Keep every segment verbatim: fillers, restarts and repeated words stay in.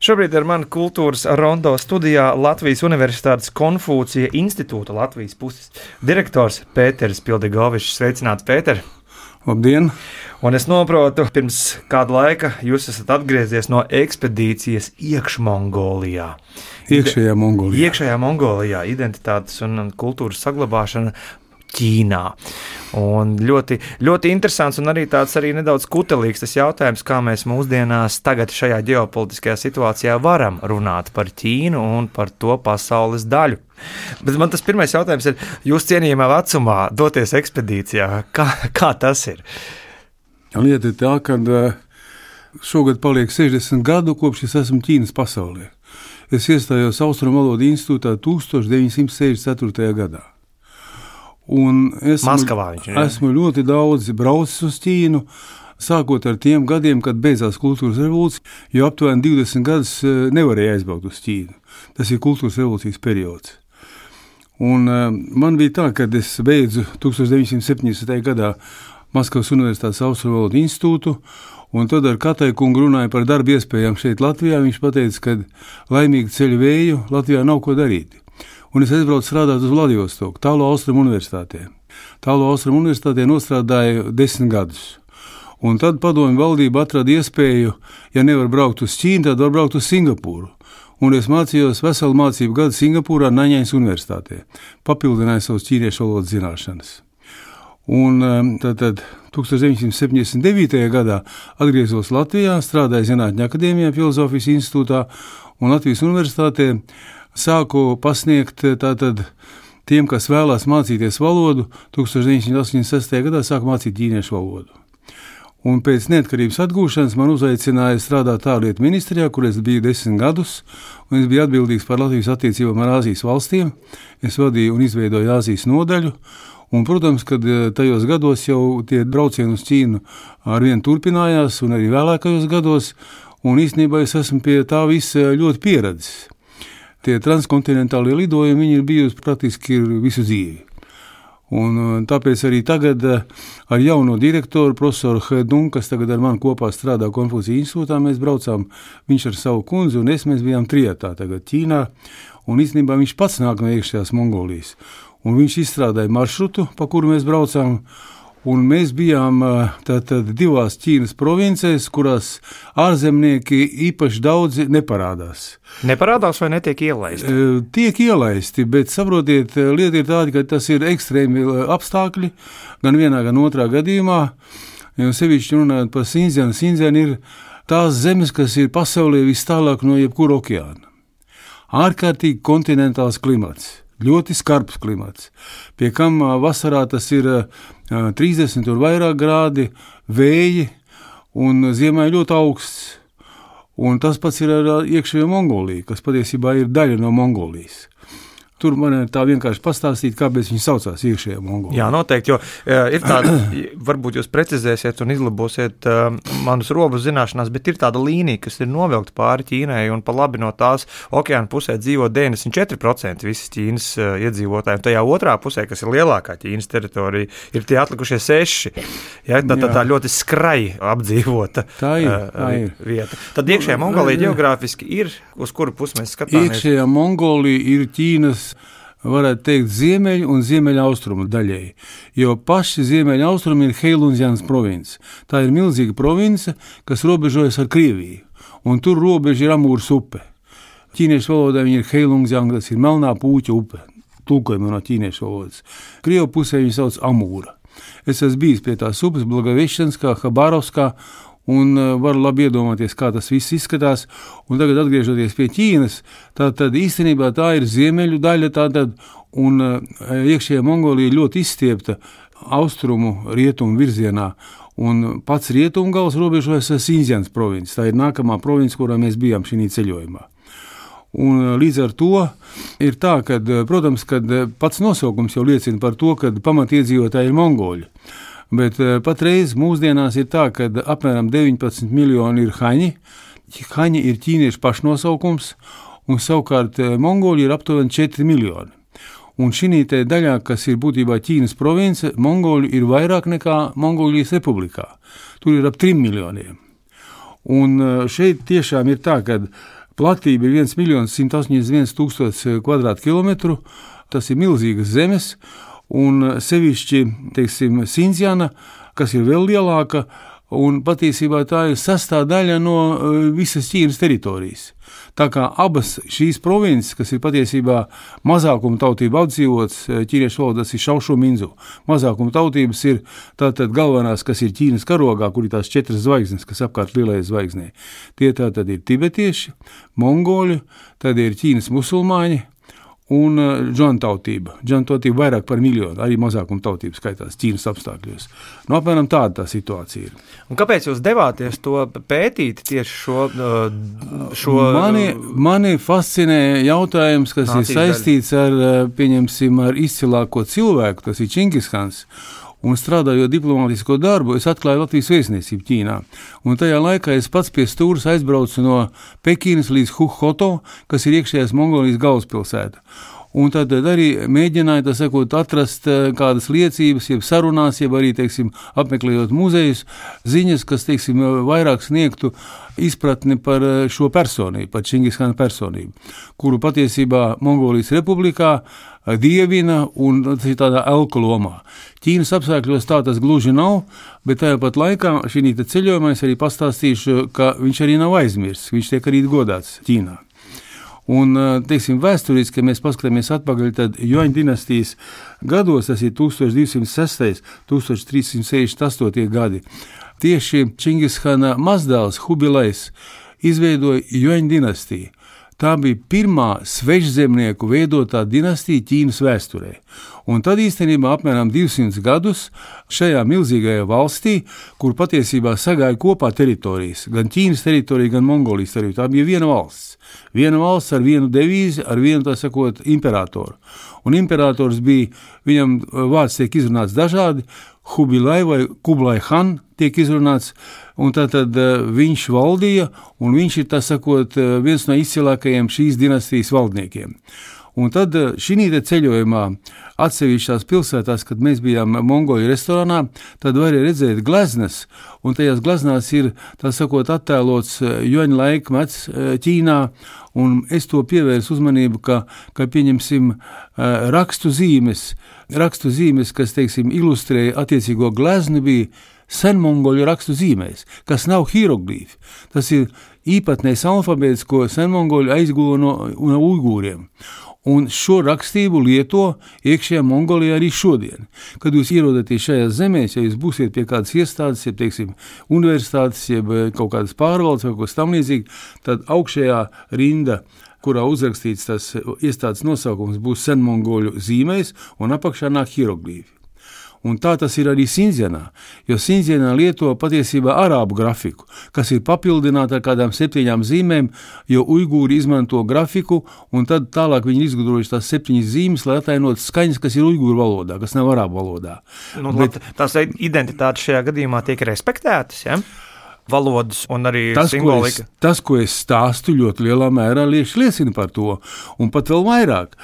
Šobrīd ar mani kultūras rondo studijā Latvijas Universitātes Konfūcija institūta Latvijas puses direktors Pēters Pildegovičs. Sveicināts, Pēter! Labdien! Un es noprotu, pirms kāda laika jūs esat atgriezies no ekspedīcijas iekšmongolijā. Iekšējā Mongolijā. Iekšējā Mongolijā, identitātes un kultūras saglabāšana Ķīnā. Un ļoti, ļoti interesants un arī tāds arī nedaudz kutelīgs tas jautājums, kā mēs mūsdienās tagad šajā ģeopolitiskajā situācijā varam runāt par Ķīnu un par to pasaules daļu. Bet man tas pirmais jautājums ir, jūs cienījamā vecumā doties ekspedīcijā, kā, kā tas ir? Lieta ir tā, ka šogad paliek sešdesmit gadu, kopš es esmu Ķīnas pasaulē. Es iestājos Austrumu valodu institūtā tusenč deviņsimt sešdesmit ceturtajā gadā. Un esmu, Maskavā viņš ir. Esmu ļoti daudz braucis uz Ķīnu, sākot ar tiem gadiem, kad beidzās kultūras revolūcija, jo aptuveni divdesmit gadus nevarēja aizbraukt uz Ķīnu. Tas ir kultūras revolūcijas periods. Un man bija tā, kad es beidzu tusenč deviņsimt septiņdesmitajā gadā Maskavas Universitātes Austrumu valodu institūtu, un tad ar Katai kungu runāju par darba iespējām šeit Latvijā. Viņš pateica, ka laimīgi ceļu vēju Latvijā nav ko darīt. Un es aizbraucu strādāt uz Vladivostoku, Tālo Austrumu universitātē. Tālo Austrumu universitātē nostrādāju desmit gadus. Un tad padomju valdība atrada iespēju, ja nevar braukt uz Ķīnu, tad var braukt uz Singapūru. Un es mācījos veselu mācību gadu Singapūrā Naņaņas universitātē. Papildināju savus ķīniešu valodas zināšanas. Un tad, tad tusenč deviņsimt septiņdesmit devītajā gadā atgriezos Latvijā, strādāju Zinātņu akadēmijā, Filozofijas institūtā un Latvijas universitātē. Sāku pasniegt tātad tiem, kas vēlās mācīties valodu, tusenč deviņsimt astoņdesmit sestajā gadā sāku mācīt ķīniešu valodu. Un pēc neatkarības atgūšanas man uzaicināja strādāt ārlietu ministrijā, kur es biju desmit gadus, un es biju atbildīgs par Latvijas attiecībām ar Āzijas valstīm. Es vadīju un izveidoju Āzijas nodaļu, un, protams, kad tajos gados jau tie braucieni uz Ķīnu arvien turpinājās, un arī vēlākajos gados, un īstenībā es esmu pie tā visa ļoti pieredzis. Tie transkontinentālie lidojumi, viņi ir bijusi praktiski visu dzīvi. Un tāpēc arī tagad ar jauno direktoru, profesoru Hedun, kas tagad ar mani kopā strādā Konfūcija institūtā, mēs braucām, viņš ar savu kundzi un es, mēs bijām trijatā tagad Ķīnā, un īstenībā viņš pats nāk no iekšējās Mongolijas. Un viņš izstrādāja maršrutu, pa kuru mēs braucām, un mēs bijām tātad divās Ķīnas provincēs, kurās ārzemnieki īpaši daudzi neparādās. Neparādās vai netiek ielaisti? Tiek ielaisti, bet saprotiet, lieta ir tāda, ka tas ir ekstrēmi apstākļi, gan vienā, gan otrā gadījumā. Jo sevišķi runājot par Sindzienu, Sindziena ir tās zemes, kas ir pasaulē vis tālāk no jebkura okeāna. Ārkārtīgi kontinentāls klimats. Ļoti skarbs klimats, pie kam vasarā tas ir trīsdesmit un vairāk grādi, vēji un ziemā ļoti augsts. Un tas pats ir ar iekšējo Mongoliju, kas patiesībā ir daļa no Mongolijas. Tur man ir tā vienkārši pastāstīt, kāpēc viņi saucās iekšējā Mongolija. Jā, noteikti, jo uh, ir tāda, varbūt jūs precizēsiet un izlabosiet uh, manus robežu zināšanās, bet ir tāda līnija, kas ir novilkta pāri Ķīnai, un pa labi no tās okeāna pusē dzīvo deviņdesmit četri procenti visas Ķīnas uh, iedzīvotāji, un tajā otrā pusē, kas ir lielākā Ķīnas teritorija, ir tie atlikušie seši. Ja, tā, tā, tā ļoti skrai apdzīvota tā ir, uh, tā ir. vieta. Tad iekšējā Mongolija ģeogrāfiski ir, uz kuru pusi mēs skatāmies? Iekšējā Mongolija ir Ķīnas, varētu teikt, ziemeļu un ziemeļa austrumu daļēji, jo paši ziemeļa austrumi ir Heilundzianas province. Tā ir milzīga province, kas robežojas ar Krieviju, un tur robeža ir Amūras upe. Ķīniešu valodā viņa ir Heilundziana, tas ir melnā pūķa upe, tulkojumā no ķīniešu valodas. Krievu pusē viņa sauc Amūra. Es esmu bijis pie tās upes Blagovešanskā, Habārovskā, un var labi iedomāties, kā tas viss izskatās. Un tagad atgriežoties pie Ķīnas, tā tad īstenībā tā ir ziemeļu daļa, tā tad, un iekšējā Mongolija ļoti izstiepta austrumu rietumu virzienā, un pats rietumu gals robežojas ar Sindzienas provinci. Tā ir nākamā province, kurā mēs bijām šī ceļojumā. Un līdz ar to ir tā, ka, protams, kad pats nosaukums jau liecina par to, ka pamatiedzīvotāji ir mongoļi. Bet patreiz mūsdienās ir tā, ka apmēram deviņpadsmit miljoni ir haņi. Haņi ir ķīniešu pašnosaukums, un savukārt mongoļi ir aptuveni četri miljoni. Un šī te daļā, kas ir būtībā Ķīnas province, mongoļu ir vairāk nekā Mongolijas republikā. Tur ir ap trim miljoniem. Un šeit tiešām ir tā, ka platība ir viens miljons simt astoņdesmit viens tūkstots kvadrātkilometru, tas ir milzīgas zemes, un sevišķi, teiksim, Sindzjana, kas ir vēl lielāka, un patiesībā tā ir sastāvdaļa no visas Ķīnas teritorijas. Tā kā abas šīs provinces, kas ir patiesībā mazākuma tautība apdzīvots, ķīniešu valodas ir Šaušu Minzu. Mazākuma tautības ir tātad galvenās, kas ir Ķīnas karogā, kur ir tās četras zvaigznes, kas apkārt lielajai zvaigznei. Tie tātad ir tibetieši, mongoļi, tad ir Ķīnas musulmaņi, un džan tautība. Džan tautība vairāk par miljonu, arī mazākuma tautība skaitās Ķīnas apstākļos. Nu, apmēram tāda tā situācija ir. Un kāpēc jūs devāties to pētīt tieši šo... šo mani, mani fascinē jautājums, kas ir saistīts ar, pieņemsim, ar izcilāko cilvēku, tas ir Čingiskans. Un strādājot diplomātisko darbu, es atklāju Latvijas vēstniecību Ķīnā. Un tajā laikā es pats pie stūras aizbraucu no Pekinas līdz Huhoto, kas ir iekšējās Mongolijas galvaspilsēta. Un tad arī mēģināju, tā sakot, atrast kādas liecības, jeb sarunās, jeb arī, teiksim, apmeklējot muzejus, ziņas, kas, teiksim, vairāk sniegtu izpratni par šo personību, par Čingiskana personību, kuru patiesībā Mongolijas republikā dievina un tas ir tādā elku lomā. Ķīnas apstākļos tā tas gluži nav, bet tajā pat laikā šī ceļojumā es arī pastāstīšu, ka viņš arī nav aizmirsts, viņš tiek arī godāts Ķīnā. Un, teiksim, vēsturiski, ja mēs paskatāmies atpakaļ, tad Juaņu dinastijas gados, tas ir tūkstoš divsimt sestais, tūkstoš trīs simt sešdesmit astotie gadi, tieši Čingiskana mazdēls Hubilejs izveidoja Juaņu dinastiju. Tā bija pirmā svešzemnieku veidotā dinastija Ķīnas vēsturē. Un tad īstenībā apmēram divsimt gadus šajā milzīgajā valstī, kur patiesībā sagāja kopā teritorijas, gan Ķīnas teritorija, gan Mongolijas teritorija, tā bija viena valsts. Viena valsts ar vienu devīzi, ar vienu, tā sakot, imperatoru. Un imperators bija, viņam vārds tiek izrunāts dažādi, Hubilai vai Kublai Han tiek izrunāts, un tātad viņš valdīja, un viņš ir, tā sakot, viens no izcilākajiem šīs dinastijas valdniekiem. Un tad šī ceļojumā atsevišķās pilsētās, kad mēs bijām Mongoļu restorānā, tad varēja redzēt gleznas, un tajās gleznās ir, tā sakot, attēlots Juaņu laikmets Ķīnā, un es to pievērsu uzmanību, ka, ka pieņemsim rakstu zīmes, rakstu zīmes, kas, teiksim, ilustrēja attiecīgo gleznu, bija senmongoļu rakstu zīmēs, kas nav hieroglīfi. Tas ir īpatnējs alfabēts, ko senmongoļu aizguva no, no uigūriem. Un šo rakstību lieto iekšējā Mongolijā arī šodien. Kad jūs ierodaties šajās zemēs, ja jūs būsiet pie kādas iestādes, ja, teiksim, universitātes, ja kaut kādas pārvaldes vai kaut kas tam līdzīgi, tad augšējā rinda, kurā uzrakstīts tas iestādes nosaukums, būs senmongoļu zīmēs, un apakšā nāk hieroglīfi. Un tā tas ir arī Sindzjanā, jo Sindzjanā lieto patiesībā arābu grafiku, kas ir papildināta ar kādām septiņām zīmēm, jo uigūri izmanto grafiku, un tad tālāk viņi izgudrojuši tās septiņas zīmes, lai atainot skaņas, kas ir uigūru valodā, kas nav arābu valodā. Nu, Bet, tās identitātes šajā gadījumā tiek respektētas, ja? Valodas un arī tas, simbolika. Ko es, tas, ko es stāstu, ļoti lielā mērā liecina par to, un pat vēl vairāk.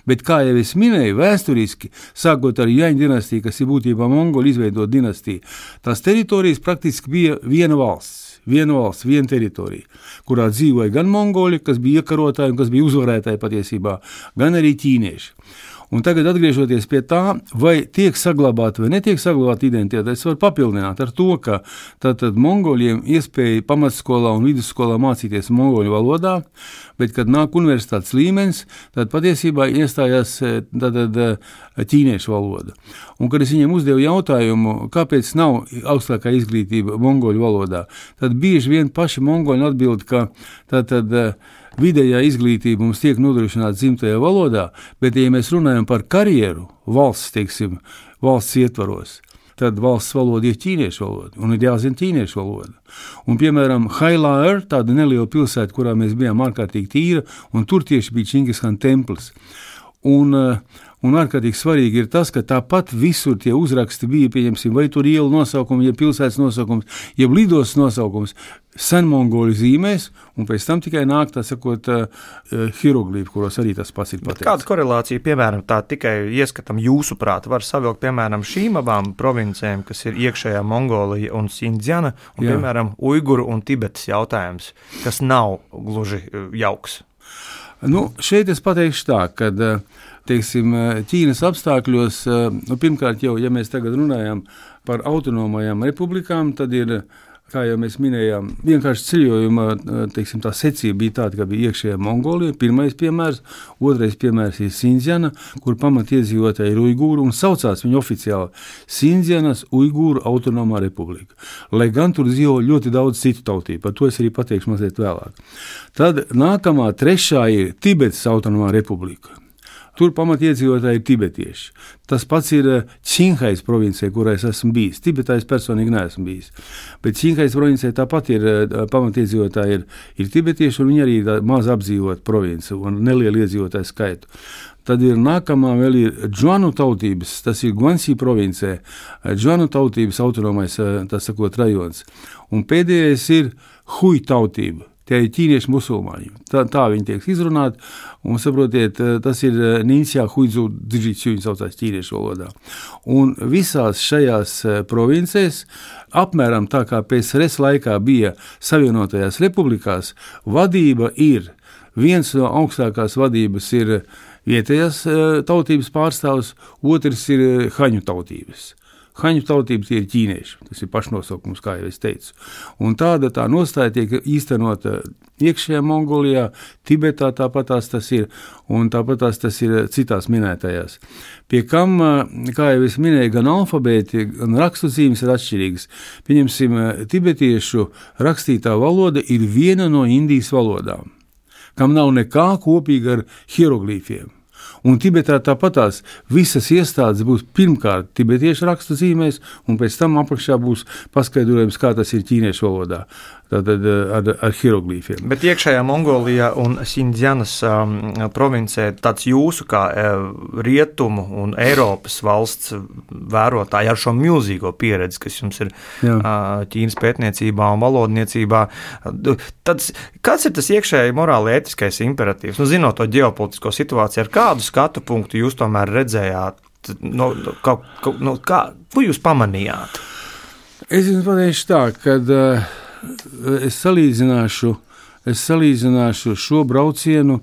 Bet, kā jau es minēju, vēsturiski, sākot ar Juaņu dinastiju, kas ir būtībā Mongoli izveidot dinastiju, tās teritorijas praktiski bija viena valsts, viena valsts, viena teritorija, kurā dzīvoja gan mongoļi, kas bija iekarotāji un kas bija uzvarētāji patiesībā, gan arī ķīnieši. Un tagad atgriežoties pie tā, vai tiek saglabāta vai netiek saglabāta identitāte, es varu papildināt ar to, ka tātad mongoļiem iespēja pamatskolā un vidusskolā mācīties mongoļu valodā, bet, kad nāk universitātes līmenis, tad patiesībā iestājās tātad ķīniešu valoda. Un, kad es viņiem uzdevu jautājumu, kāpēc nav augstākā izglītība mongoļu valodā, tad bieži vien paši mongoļi atbild, ka tātad vidējā izglītība mums tiek nodrošināta dzimtajā valodā, bet, ja mēs runājam par karjeru valsts, teiksim, valsts ietvaros, tad valsts valoda ir ķīniešu valoda, un ir jāzina ķīniešu valoda. Un, piemēram, Hailāer, tāda neliela pilsēta, kurā mēs bijām ārkārtīgi tīra, un tur tieši bija Čingiskana templis. Un, un ārkārtīgi svarīgi ir tas, ka tāpat visur tie uzraksti bija, pieņemsim, vai tur ielu nosaukumi, ja pilsētas nosaukums, ja lidos nosaukums, senmongoļu zīmēs, un pēc tam tikai nāk, tā sakot, hieroglīfi, kuros arī tas pats ir pateikts. Kāda korelācija, piemēram, tā tikai ieskatam jūsuprāt, var savilkt, piemēram, šīm abām provincēm, kas ir iekšējā Mongolija un Sindzjana, un, Jā. piemēram, Uiguru un Tibetas jautājums, kas nav gluži jauks? Nu, šeit es pateikšu tā, ka, teiksim, Ķīnas apstākļos, nu, pirmkārt jau, ja mēs tagad runājam par autonomajām republikām, tad ir, kā jau mēs minējām, vienkārši ceļojuma, teiksim, tā secība bija tāda, ka bija iekšējā Mongolija, pirmais piemērs, otrais piemērs ir Sindzjana, kur pamatiedzīvotāji ir Uigūri un saucās viņu oficiāli Sindzjanas Uigūru autonomā republika. Lai gan tur dzīvo ļoti daudz citu tautību, par to es arī pateikšu mazliet vēlāk. Tad nākamā trešā ir Tibetas autonomā republika. Tur pamatiedzīvotāji ir tibetieši. Tas pats ir Činhais provincē, kurā es esmu bijis. Tibetā es personīgi neesmu bijis. Bet Činhais provincē tāpat ir pamatiedzīvotāji ir, ir tibetieši, un viņi arī maz apdzīvot provinci un nelielu iedzīvotāju skaitu. Tad ir nākamā vēl ir Džuanu tautības, tas ir Guansī provincē, Džuanu tautības autonomais, tas sakot, rajons. Un pēdējais ir Hui tautība. Tie ir ķīnieši musulmaņi. Tā, tā viņi tiek izrunāti, un saprotiet, tas ir Nīnsjā Huidzu Dzidžicju, viņi saucās ķīniešu valodā. Un visās šajās provincēs, apmēram tā kā P S R S laikā bija Savienotajās republikās, vadība ir, viens no augstākās vadības ir vietējās tautības pārstāvs, otrs ir haņu tautības. Haņu tautība tie ir ķīnieši, tas ir pašnosaukums, kā jau es teicu. Un tāda tā nostāja tiek īstenota iekšējā Mongolijā, Tibetā tāpatās tas ir, un tāpatās tas ir citās minētajās. Pie kam, kā jau es minēju, gan alfabēti, gan rakstu zīmes ir atšķirīgas. Pieņemsim, tibetiešu rakstītā valoda ir viena no Indijas valodām, kam nav nekā kopīga ar hieroglīfiem. Un Tibetā tāpatās visas iestādes būs pirmkārt tibetiešu rakstu zīmēs, un pēc tam apakšā būs paskaidrojums, kā tas ir ķīniešu valodā, tātad ar, ar hieroglīfiem. Bet iekšējā Mongolijā un Sindzjanas um, provincē tāds jūsu kā uh, rietumu un Eiropas valsts vērotāji ar šo milzīgo pieredzi, kas jums ir uh, Ķīnas pētniecībā un valodniecībā, tad kāds ir tas iekšēji morāli ētiskais imperatīvs? Nu, zinot to ģeopolitisko situāciju, ar kādu skatu punktu jūs tomēr redzējāt, no, kā, no, kā, ko jūs pamanījāt? Es jums pateikšu tā, kad uh, es salīdzināšu, es salīdzināšu šo braucienu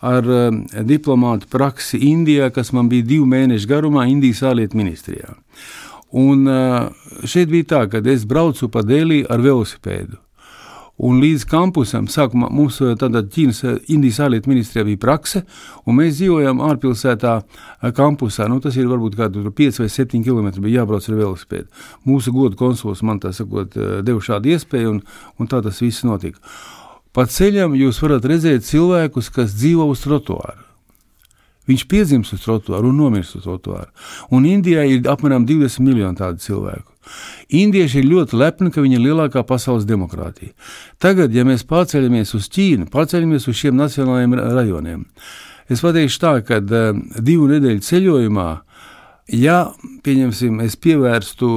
ar uh, diplomātu praksi Indijā, kas man bija divu mēnešu garumā Indijas ārlietu ministrijā. Un uh, šeit bija tā, kad es braucu pa Delī ar velosipēdu. Un līdz kampusam, sākumā mums tādā Ķīnas, Indijas ārlietu ministrijā bija prakse, un mēs dzīvojām ārpilsētā kampusā. Nu, tas ir varbūt kādu pieci vai septiņi kilometri bija jābrauc ar velosipēdu. Mūsu godu konsuls man tā sakot deva šādu iespēju, un, un tā tas viss notika. Pa ceļam jūs varat redzēt cilvēkus, kas dzīvo uz trotuāru. Viņš piedzimst uz trotuāru un nomirst uz trotuāru. Un Indijā ir apmēram divdesmit miljoni tādu cilvēku. Indieši ir ļoti lepni, ka viņi ir lielākā pasaules demokrātija. Tagad, ja mēs pārceļamies uz Ķīnu, pārceļamies uz šiem nacionālajiem rajoniem, es pateikšu tā, ka uh, divu nedēļu ceļojumā, ja, pieņemsim, es pievērstu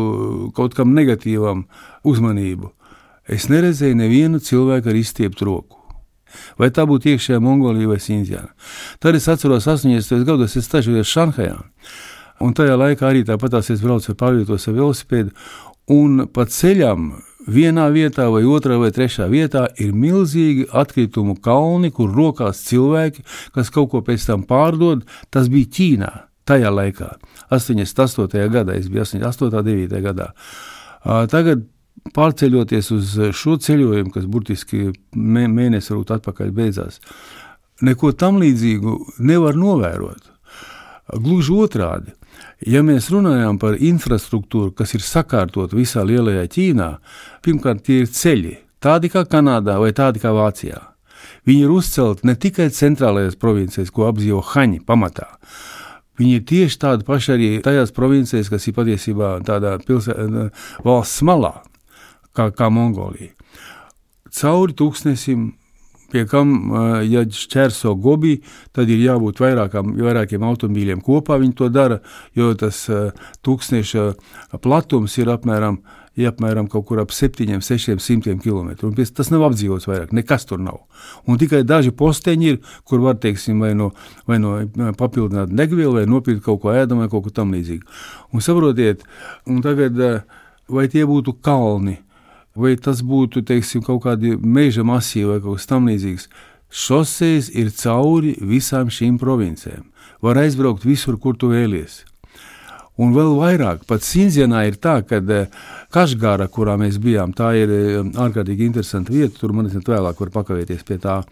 kaut kam negatīvam uzmanību, es neredzēju nevienu cilvēku ar izstieptu roku. Vai tā būtu iekšējā Mongolija vai Sindzjana. Tad es atceros astoņdesmitajos gados, es stažojos Šanhajā. Un tajā laikā arī tāpatās es braucu ar pārvietos ar velosipēdu, un pa ceļam vienā vietā vai otrā vai trešā vietā ir milzīgi atkritumu kalni, kur rokās cilvēki, kas kaut ko pēc tam pārdod. Tas bija Ķīnā tajā laikā, astoņdesmit astotajā gadā, es biju astoņdesmit astotajā, devītajā gadā. Tagad pārceļoties uz šo ceļojumu, kas burtiski mē, mēnesi varbūt atpakaļ beidzās, neko tam līdzīgu nevar novērot. Gluži otrādi. Ja mēs runājam par infrastruktūru, kas ir sakārtot visā lielajā Ķīnā, pirmkārt tie ir ceļi, tādi kā Kanādā vai tādi kā Vācijā. Viņi ir uzcelti ne tikai centrālajās provincēs, ko apdzīvo haņi pamatā. Viņi ir tieši tādi paši arī tajās provincēs, kas ir patiesībā tādā pilsē, valsts malā, kā, kā Mongolija. Cauri tūkstnesim, pie kam, ja šķērso Gobi, tad ir jābūt vairākām, vairākiem automobīļiem kopā, viņi to dara, jo tas tūkstneša platums ir apmēram, ir apmēram kaut kur ap septiņiem, sešiem simtiem kilometru, un tas nav apdzīvots vairāk, nekas tur nav. Un tikai daži posteņi ir, kur var, teiksim, vai no, vai no papildināt degvielu, vai nopirkt kaut ko ēdam, vai kaut ko tam līdzīgi. Un saprotiet, un tagad, vai tie būtu kalni, vai tas būtu, teiksim, kaut kādi meža masīvi vai kaut kas tam līdzīgs, šosejas ir cauri visām šīm provincēm. Var aizbraukt visur, kur tu vēlies. Un vēl vairāk, pat Sindzianā ir tā, ka Kašgāra, kurā mēs bijām, tā ir ārkārtīgi interesanta vieta, tur man nezinu vēlāk var pakavēties pie tā.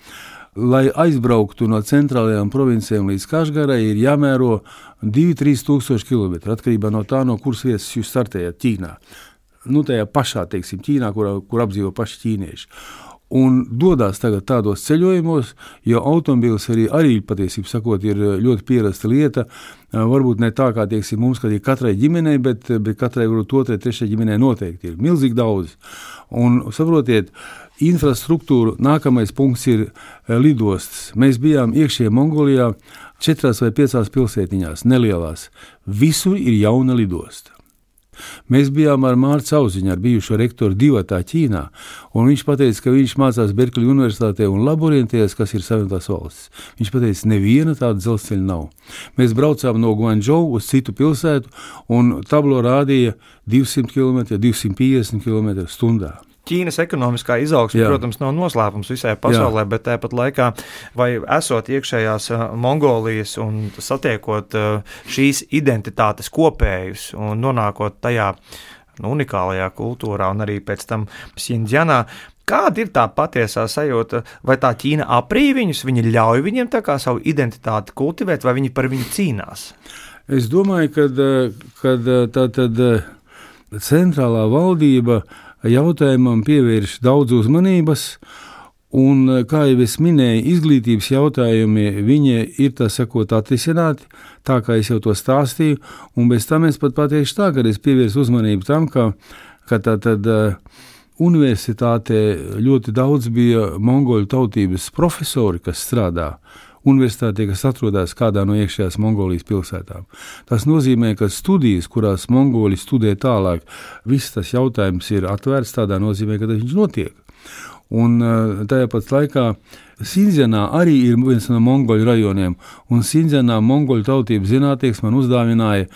Lai aizbrauktu no centrālajām provincēm līdz Kašgārai, ir jāmēro divi līdz trīs tūkstoši kilometri, atkarībā no tā, no kuras vietas jūs startējat Ķīnā. Nu, tajā pašā, teiksim, Ķīnā, kur, kur apdzīvo paši ķīnieši. Un dodās tagad tādos ceļojumos, jo automobīls arī, arī patiesībā sakot, ir ļoti pierasta lieta. Varbūt ne tā, kā tieksim mums, kad ir katrai ģimenei, bet, bet katrai varbūt otrai, trešai ģimenei noteikti ir milzīgi daudz. Un saprotiet, infrastruktūra, nākamais punkts ir lidostas. Mēs bijām iekšējā Mongolijā četrās vai piecās pilsētiņās, nelielās. Visur ir jauna lidosta. Mēs bijām ar Mārcu Auziņu, ar bijušo rektoru divatā Ķīnā, un viņš pateica, ka viņš mācās Berkļu universitātē un laborientējas, kas ir Savienotās valstis. Viņš pateica, neviena tāda dzelzceļa nav. Mēs braucām no Guangzhou uz citu pilsētu, un tablo rādīja divsimt kilometri, divsimt piecdesmit kilometri stundā. Ķīnas ekonomiskā izaugsme, protams, nav noslēpums visai pasaulē, Jā. bet tāpat laikā, vai esot iekšējās Mongolijas un satiekot šīs identitātes kopējus un nonākot tajā nu, unikālajā kultūrā un arī pēc tam Sindzianā, kāda ir tā patiesā sajūta? Vai tā Ķīna aprīj viņus, viņi ļauj viņiem tā kā savu identitāti kultivēt, vai viņi par viņu cīnās? Es domāju, kad, kad tā tad centrālā valdība jautājumam pievērš daudz uzmanības, un, kā jau es minēju, izglītības jautājumi, viņi ir, tā sakot, atrisināti, tā kā es jau to stāstīju, un bez tam es pat pateikšu tā, kad es pievērsu uzmanību tam, ka, ka tā tad universitātē ļoti daudz bija mongoļu tautības profesori, kas strādā universitātē, kas atrodas kādā no iekšējās Mongolijas pilsētām. Tas nozīmē, ka studijas, kurās Mongoli studē tālāk, viss tas jautājums ir atvērts, tādā nozīmē, ka viņš notiek. Un tajā pat laikā Sindzianā arī ir viens no mongoļu rajoniem, un Sindzianā mongoļu tautības zinātnieks man uzdāvināja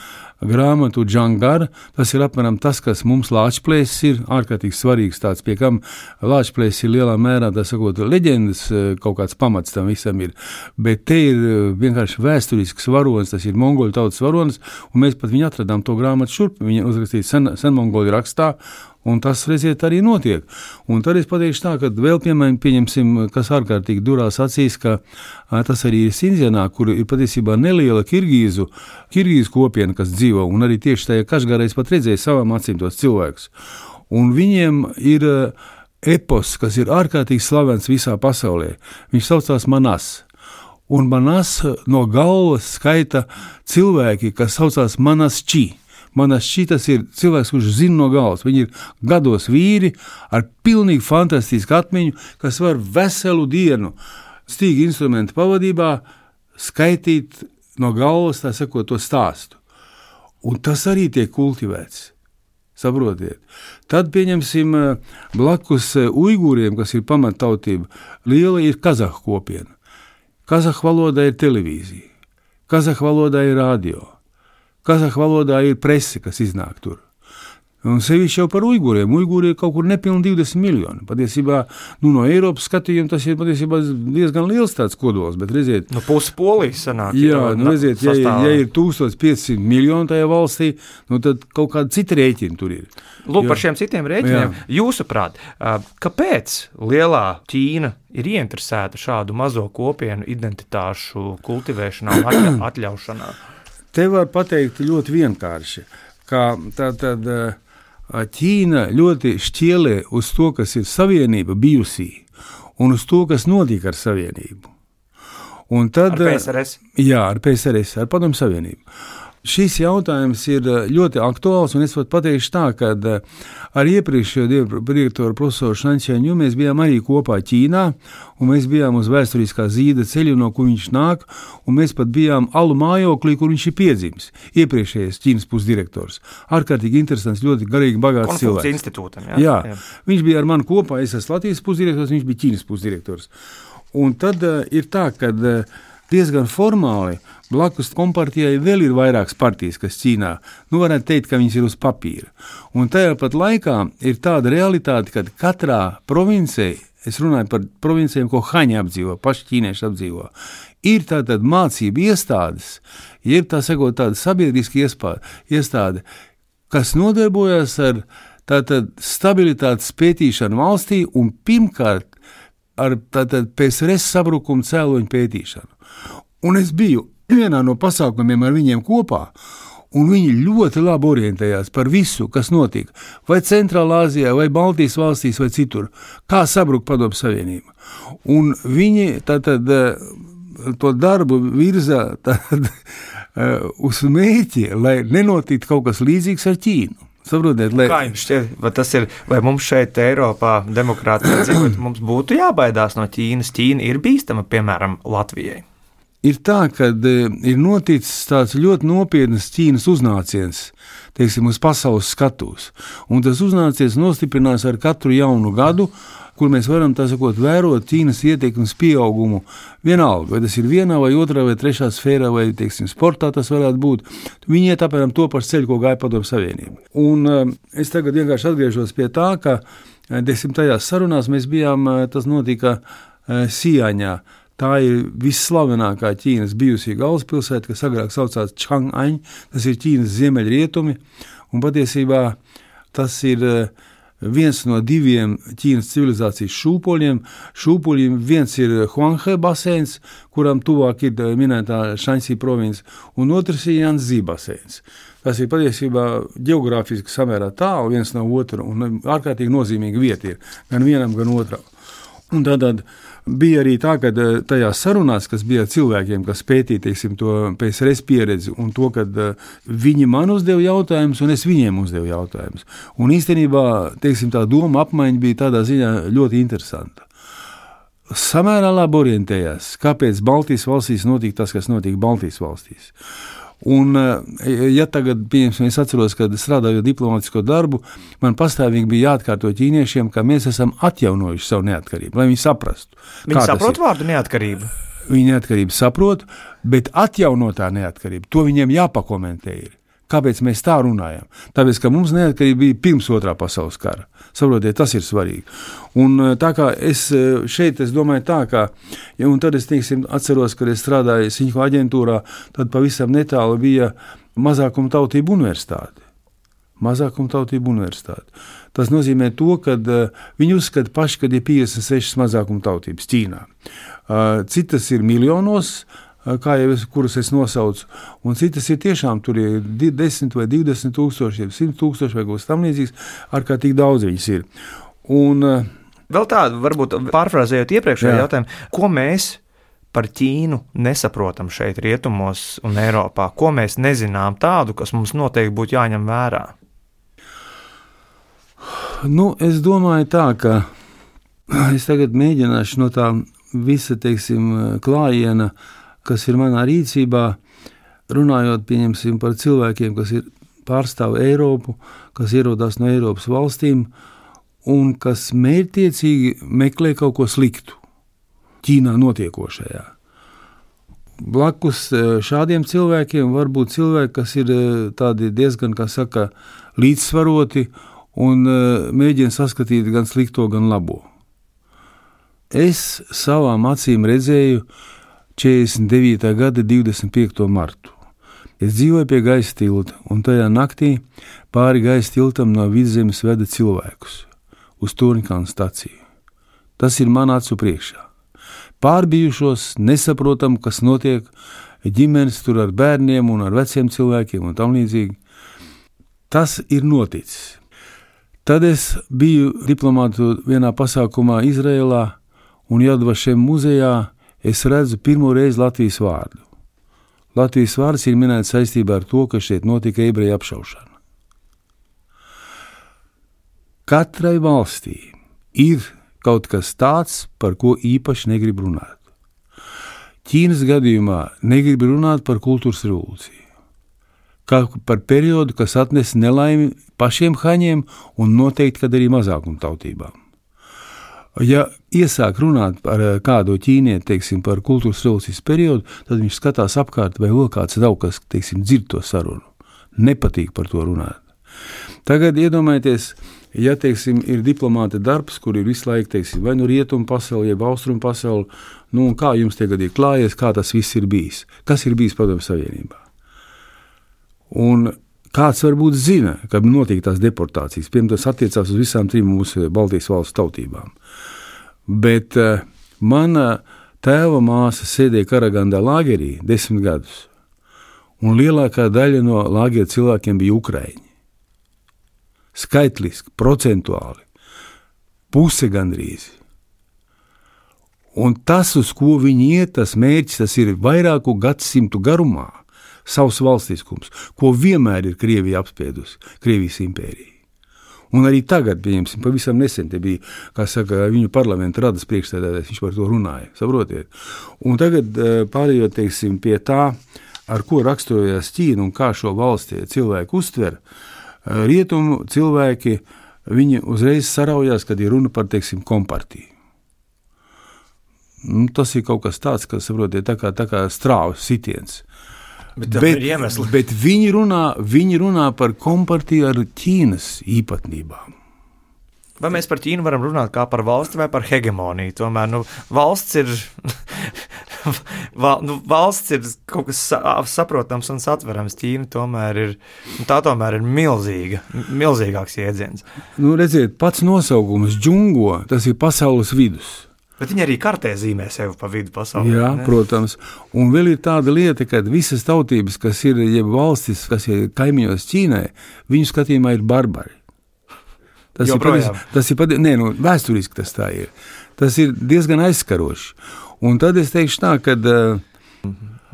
grāmatu Džangar. Tas ir apmēram tas, kas mums Lāčplēsis ir ārkārtīgi svarīgs tāds, pie kam Lāčplēsis ir lielā mērā, tā sakot, leģendas kaut kāds pamats tam visam ir, bet te ir vienkārši vēsturisks varonis, tas ir mongoļu tautas varonis, un mēs pat viņu atradām to grāmatu šurp, viņa uzrakstīja sen, sen mongoļu rakstā, un tas, redziet, arī notiek. Un tad es pateikšu tā, ka vēl, piemēram, pieņemsim, kas ārkārtīgi durās acīs, ka a, tas arī ir Sindzianā, kur ir patiesībā neliela kirgīzu, kirgīzu kopiena, kas dzīvo, un arī tieši tajā Kašgārā es pat redzēju savām acīm tos cilvēkus. Un viņiem ir epos, kas ir ārkārtīgi slavens visā pasaulē. Viņš saucās Manas. Un Manas no galvas skaita cilvēki, kas saucās Manas Či. Manas šitas ir cilvēks, kurš zina no galvas. Viņi ir gados vīri ar pilnīgi fantastisku atmiņu, kas var veselu dienu stīgu instrumentu pavadībā skaitīt no galvas, tā sakot, to stāstu. Un tas arī tiek kultivēts. Saprotiet. Tad pieņemsim blakus uigūriem, kas ir pamattautība, liela ir kazahu kopiena. Kazahu valodā ir televīzija. Kazahu valodā ir radio. Kazahu valodā ir prese, kas iznāk tur. Un sevišķi jau par uigūriem. Uigūri ir kaut kur nepilni divdesmit miljoni. Patiesībā, nu, no Eiropas skatījuma tas ir patiesībā diezgan liels tāds kodols, bet redziet... No puses Polijas sanāk. Jā, nu, redziet, ja, ja ir tūkstoš piecsimt miljoni tajā valstī, nu, tad kaut kāda cita rēķina tur ir. Lūk, jo, par šiem citiem rēķiniem, jā. Jūsuprāt, kāpēc lielā Ķīna ir ieinteresēta šādu mazo kopienu identitāšu kultivēšanā un atļaušanā? Te var pateikt ļoti vienkārši, ka tā tad Ķīna ļoti šķielē uz to, kas ir savienība bijusī, un uz to, kas notika ar savienību. Un tad, ar P S R S? Jā, ar P S R S, ar Padomju Savienību. Šis jautājums ir ļoti aktuāls, un es pat pateikšu tā, ka ar iepriekšējo direktoru profesoru Šanķēņu mēs bijām arī kopā Ķīnā, un mēs bijām uz vēsturiskā zīda ceļu, no kur viņš nāk, un mēs pat bijām alu mājoklī, kur viņš ir piedzimis, iepriekšējais Ķīnas pusdirektors. Ārkārtīgi interesants, ļoti garīgi bagāts cilvēks. Konfūcija institūtam, jā? Jā, jā. Viņš bija ar mani kopā, es esmu Latvijas pusdirektors, viņš bija Ķīnas pusdirektors. Un tad uh, ir tā, ka uh, diezgan formāli blakus kompartijai vēl ir vairākas partijas, kas Ķīnā, nu varētu teikt, ka viņas ir uz papīra. Un tajā pat laikā ir tāda realitāte, ka katrā provincē, es runāju par provincēm, ko haņi apdzīvo, paši ķīnieši apdzīvo, ir tātad mācība iestādes, ir tā sakot tāda sabiedriska iestāde, kas nodarbojas ar tātad stabilitātes pētīšanu valstī un pirmkārt ar tātad P S R S sabrukumu cēloņu pētīšanu. Un es biju vienā no pasākumiem ar viņiem kopā, un viņi ļoti labi orientējās par visu, kas notika, vai Centrālā Āzijā, vai Baltijas valstīs, vai citur, kā sabruka Padomju Savienība. Un viņi tātad to darbu virza tātad, uz mērķi, lai nenotiktu kaut kas līdzīgs ar Ķīnu. Saprotiet, lai... Kā jums šķiet, vai tas ir, vai mums šeit Eiropā demokrātijā dzīvot, mums būtu jābaidās no Ķīnas? Ķīna ir bīstama, piemēram, Latvijai. Ir tā, ka ir noticis tāds ļoti nopietnas Ķīnas uznāciens, teiksim, uz pasaules skatūs. Un tas uznāciens nostiprinās ar katru jaunu gadu, kur mēs varam, tā sakot, vērot Ķīnas ietekmes pieaugumu vienalga, vai tas ir vienā vai otrā vai trešā sfērā, vai, teiksim, sportā tas varētu būt. Viņi iet apmēram to pašu ceļu, ko gāja Padomju Savienība. Un uh, es tagad vienkārši atgriežos pie tā, ka, teiksim, tajās sarunās mēs bijām, tas notika uh, Sijāņā. Tā ir visslavenākā Ķīnas bijusī galvaspilsēta, kas agrāk saucās Čang'aņ, tas ir Ķīnas ziemeļrietumi, un patiesībā tas ir viens no diviem Ķīnas civilizācijas šūpoļiem. Šūpoļiem viens ir Huanghe baseins, kuram tuvāk ir minētā Šanxi province, un otrs ir Janzi baseins. Tas ir patiesībā ģeogrāfiski samērā tālu viens no otra, un ārkārtīgi nozīmīga vieta ir gan vienam, gan otram. Un tātad bija arī tā, ka tajās sarunās, kas bija cilvēkiem, kas pētīja, teiksim, to P S R S pieredzi un to, ka viņi man uzdeva jautājumus un es viņiem uzdevu jautājumus. Un īstenībā, teiksim, tā doma apmaiņa bija tādā ziņā ļoti interesanta. Samērā labi orientējās, kāpēc Baltijas valstīs notika tas, kas notika Baltijas valstīs. Un, ja tagad, pieņemsim, es atceros, kad strādāju diplomātisko darbu, man pastāvīgi bija jāatkārto ķīniešiem, ka mēs esam atjaunojuši savu neatkarību, lai viņi saprastu. Viņi saprot vārdu neatkarība? Viņi neatkarību saprot, bet atjaunotā neatkarība, to viņiem jāpakomentē ir. Kāpēc mēs tā runājam? Tāpēc, ka mums neatkarība bija pirms otrā pasaules kara. Saprotiet, tas ir svarīgi. Un tā kā es šeit, es domāju tā, ka, ja, un tad es, teiksim, atceros, kad es strādāju Siņho aģentūrā, tad pavisam netālu bija mazākuma tautību universitāte. Mazākuma tautību universitāte. Tas nozīmē to, ka viņi uzskata paši, kad ir piecdesmit sešas mazākuma tautības Ķīnā. Citas ir miljonos, kā jau es, kuras es nosaucu, un citas ir tiešām, tur ir desmit vai divdesmit tūkstoši, simt tūkstoši vai kaut kas tam līdzīgs, ārkārtīgi daudz viņas ir. Un vēl tādu, varbūt pārfrāzējot iepriekšējo jautājumu, ko mēs par Ķīnu nesaprotam šeit rietumos un Eiropā, ko mēs nezinām tādu, kas mums noteikti būtu jāņem vērā? Nu, es domāju tā, ka es tagad mēģināšu no tā visa, teiksim, klājiena, kas ir manā rīcībā, runājot, pieņemsim, par cilvēkiem, kas ir pārstāv Eiropu, kas ierodās no Eiropas valstīm un kas mērķtiecīgi meklē kaut ko sliktu Ķīnā notiekošajā. Blakus šādiem cilvēkiem var būt cilvēki, kas ir tādi diezgan, kā saka, līdzsvaroti un mēģina saskatīt gan slikto, gan labo. Es savām acīm redzēju četrdesmit devītā gada divdesmit piekto martu. Es dzīvoju pie gaisa tilta, un tajā naktī pāri gaisa tiltam no Vidzemes veda cilvēkus uz Torņkalna staciju. Tas ir man acu priekšā. Pārbijušos, nesaprotam, kas notiek, ģimenes tur ar bērniem un ar veciem cilvēkiem un tam līdzīgi. Tas ir noticis. Tad es biju diplomātu vienā pasākumā Izrēlā un Jad Vašem muzejā. Es redzu pirmo reizi Latvijas vārdu. Latvijas vārds ir minēts saistībā ar to, ka šeit notika ebreju apšaušana. Katrai valstī ir kaut kas tāds, par ko īpaši negrib runāt. Ķīnas gadījumā negrib runāt par kultūras revolūciju, kā par periodu, kas atnes nelaimi pašiem haņiem un noteikti, kad arī mazākumtautībām. Ja iesāk runāt par kādu ķīnieti, teiksim, par kultūras revolūcijas periodu, tad viņš skatās apkārt, vai vēl kāds nav, kas, teiksim, dzird to sarunu. Nepatīk par to runāt. Tagad iedomājieties, ja, teiksim, ir diplomāta darbs, kur ir visu laiku, teiksim, vai nu rietumu pasauli, jeb austrumu pasauli, nu, un kā jums tagad ir klājies, kā tas viss ir bijis, kas ir bijis Padomju Savienībā. Un kāds varbūt zina, ka notiek tās deportācijas, piemēram, tas attiecās uz visām trim mūsu Baltijas valstu tautībām. Bet uh, mana tēva māsa sēdēja Karagandā lagerī desmit gadus, un lielākā daļa no lagera cilvēkiem bija ukraiņi. Skaitliski, procentuāli, puse gandrīz. Un tas, uz ko viņi iet, tas mērķis, tas ir vairāku gadsimtu garumā, savs valstiskums, ko vienmēr ir Krievija apspiedusi, Krievijas impērija. Un arī tagad, pieņemsim, pavisam nesen te bija, kā saka, viņu parlamenta radas priekšsēdētājs, viņš par to runāja, saprotiet. Un tagad pārējot, teiksim, pie tā, ar ko raksturojās Ķīna un kā šo valsti cilvēku uztver, rietumu cilvēki, viņi uzreiz saraujās, kad ir runa par, teiksim, kompartiju. Nu, tas ir kaut kas tāds, kas, saprotiet, tā kā, tā kā strāvas sitiens. Bet, bet, bet viņi, runā, viņi runā par kompartiju ar Ķīnas īpatnībām. Vai mēs par Ķīnu varam runāt kā par valsti vai par hegemoniju? Tomēr, nu, valsts ir... Val, nu, valsts ir kaut kas saprotams un satverams. Ķīna tomēr ir, tā tomēr ir milzīga, milzīgāks jēdziens. Nu, redziet, pats nosaukums džungo, tas ir pasaules vidus. Bet viņi arī kartē zīmē sevi pa vidu pasaulē. Jā, ne? Protams. Un vēl ir tāda lieta, ka visas tautības, kas ir, jeb valstis, kas ir kaimiņos Ķīnai, viņu skatījumā ir barbari. Tas Joprojām. ir, tas ir, nē, nu, vēsturiski tas tā ir. Tas ir diezgan aizskaroši. Un tad es teikšu tā, kad...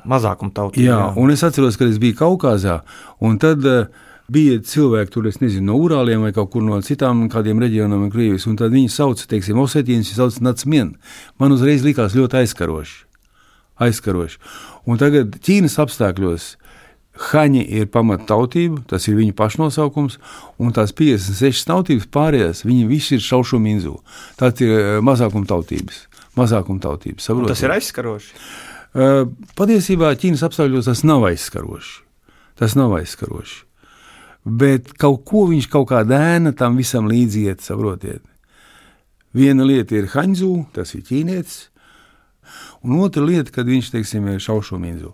Mazākuma tautība. Jā, jā, un es atceros, kad es biju Kaukazā, un tad uh, bija cilvēki tur, es nezinu, no Urāliem vai kaut kur no citām kādiem reģionām un Krievijas, un tad viņi sauca, teiksim, Osetīnas, viņi sauca Nacmien. Man uzreiz likās ļoti aizskaroši. Aizskaroši. Un tagad Ķīnas apstākļos haņi ir pamat tautība, tas ir viņu pašnosaukums, un tās piecdesmit sešas tautības pārējās, viņi visi ir šaušu minzu. Tāds ir uh, mazākuma tautības. Mazākuma tautības. Tas ir aizskaroši? Uh, patiesībā Ķīnas apstākļos tas nav aizskaroši. Tas nav aizskaroši. Bet kaut ko viņš kaut kā dēna tam visam līdzi iet, saprotiet. Viena lieta ir haņzu, tas ir ķīnietis, un otra lieta, kad viņš, teiksim, ir šaušo minzu.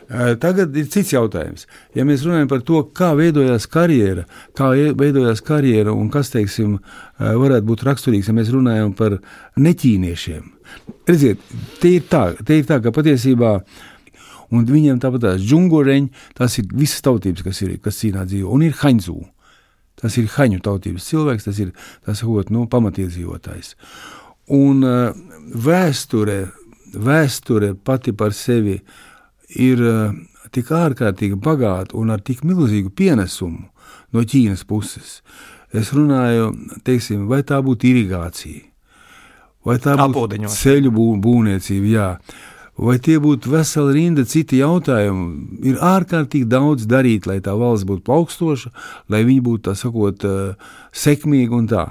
Uh, tagad ir cits jautājums. Ja mēs runājam par to, kā veidojās karjera, kā veidojās karjera un kas, teiksim, uh, varētu būt raksturīgs, ja mēs runājam par neķīniešiem. Redziet, te ir tā, te ir tā, ka patiesībā, un viņiem tāpat tās džungoreņi, tās ir visas tautības, kas ir, kas Ķīnā dzīvo, un ir haņzu. Tas ir haņu tautības cilvēks, tas ir, tas ir, nu, pamatiedzīvotājs. Un uh, vēsture, vēsture pati par sevi ir uh, tik ārkārtīgi bagāta un ar tik milzīgu pienesumu no Ķīnas puses. Es runāju, teiksim, vai tā būtu irigācija, vai tā būtu ceļu bū, būvniecība, jā, vai tie būtu vesela rinda citi jautājumi. Ir ārkārtīgi daudz darīt, lai tā valsts būtu plaukstoša, lai viņi būtu, tā sakot, uh, sekmīgi un tā.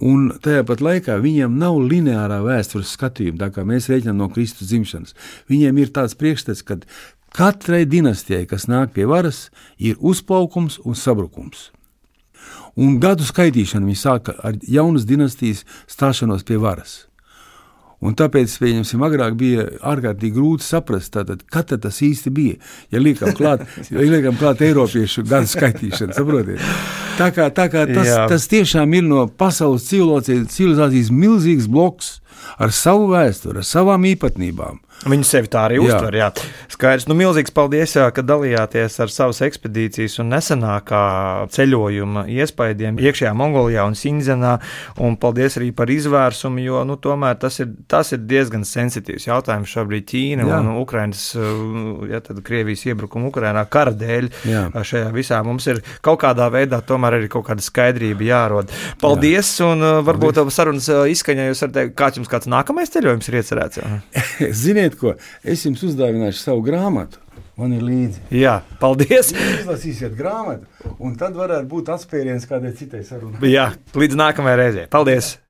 Un tajā pat laikā viņiem nav lineārā vēstures skatījuma, tā kā mēs rēķinām no Kristus dzimšanas. Viņiem ir tāds priekšstats, ka katrai dinastijai, kas nāk pie varas, ir uzplaukums un sabrukums. Un gadu skaitīšana viņi sāka ar jaunas dinastijas stāšanos pie varas. Un tāpēc, pieņemsim, agrāk bija ārkārtīgi grūti saprast, tātad, kad tas īsti bija, ja liekam klāt, ja liekam klāt Eiropiešu gadu skaitīšanu, saprotiet? Tā kā, tā kā tas, tas tiešām ir no pasaules civilizācijas, civilizācijas milzīgs bloks, ar savu vēsturi, ar savām īpatnībām. Viņi sevi tā arī jā. uztver. Jā. Skaidrs, nu milzīgs paldies, jā, ka dalījāties ar savas ekspedīcijas un nesenākā ceļojuma iespaidiem iekšējā Mongolijā un Sinzenā, un paldies arī par izvērsumu, jo, nu, tomēr tas ir, tas ir diezgan sensitīvs jautājums šobrīd Ķīna jā. un Ukrainas, ja tad Krievijas iebrukuma Ukrainā kara dēļ jā. šajā visā mums ir kaut kādā veidā tomēr arī kaut kāda skaidrība jārod. Paldies, jā. un varbūt paldies. Sarunas izskaņā jūs ar tevi, kāds jums kāds nākamais ceļojums ir iecerēts? Ziniet, ko? Es jums uzdāvināšu savu grāmatu. Man ir līdzi. Jā, paldies. Jūs izlasīsiet grāmatu, un tad varētu būt atspēriens kādai citai sarunai. Jā, līdz nākamajai reizei. Paldies.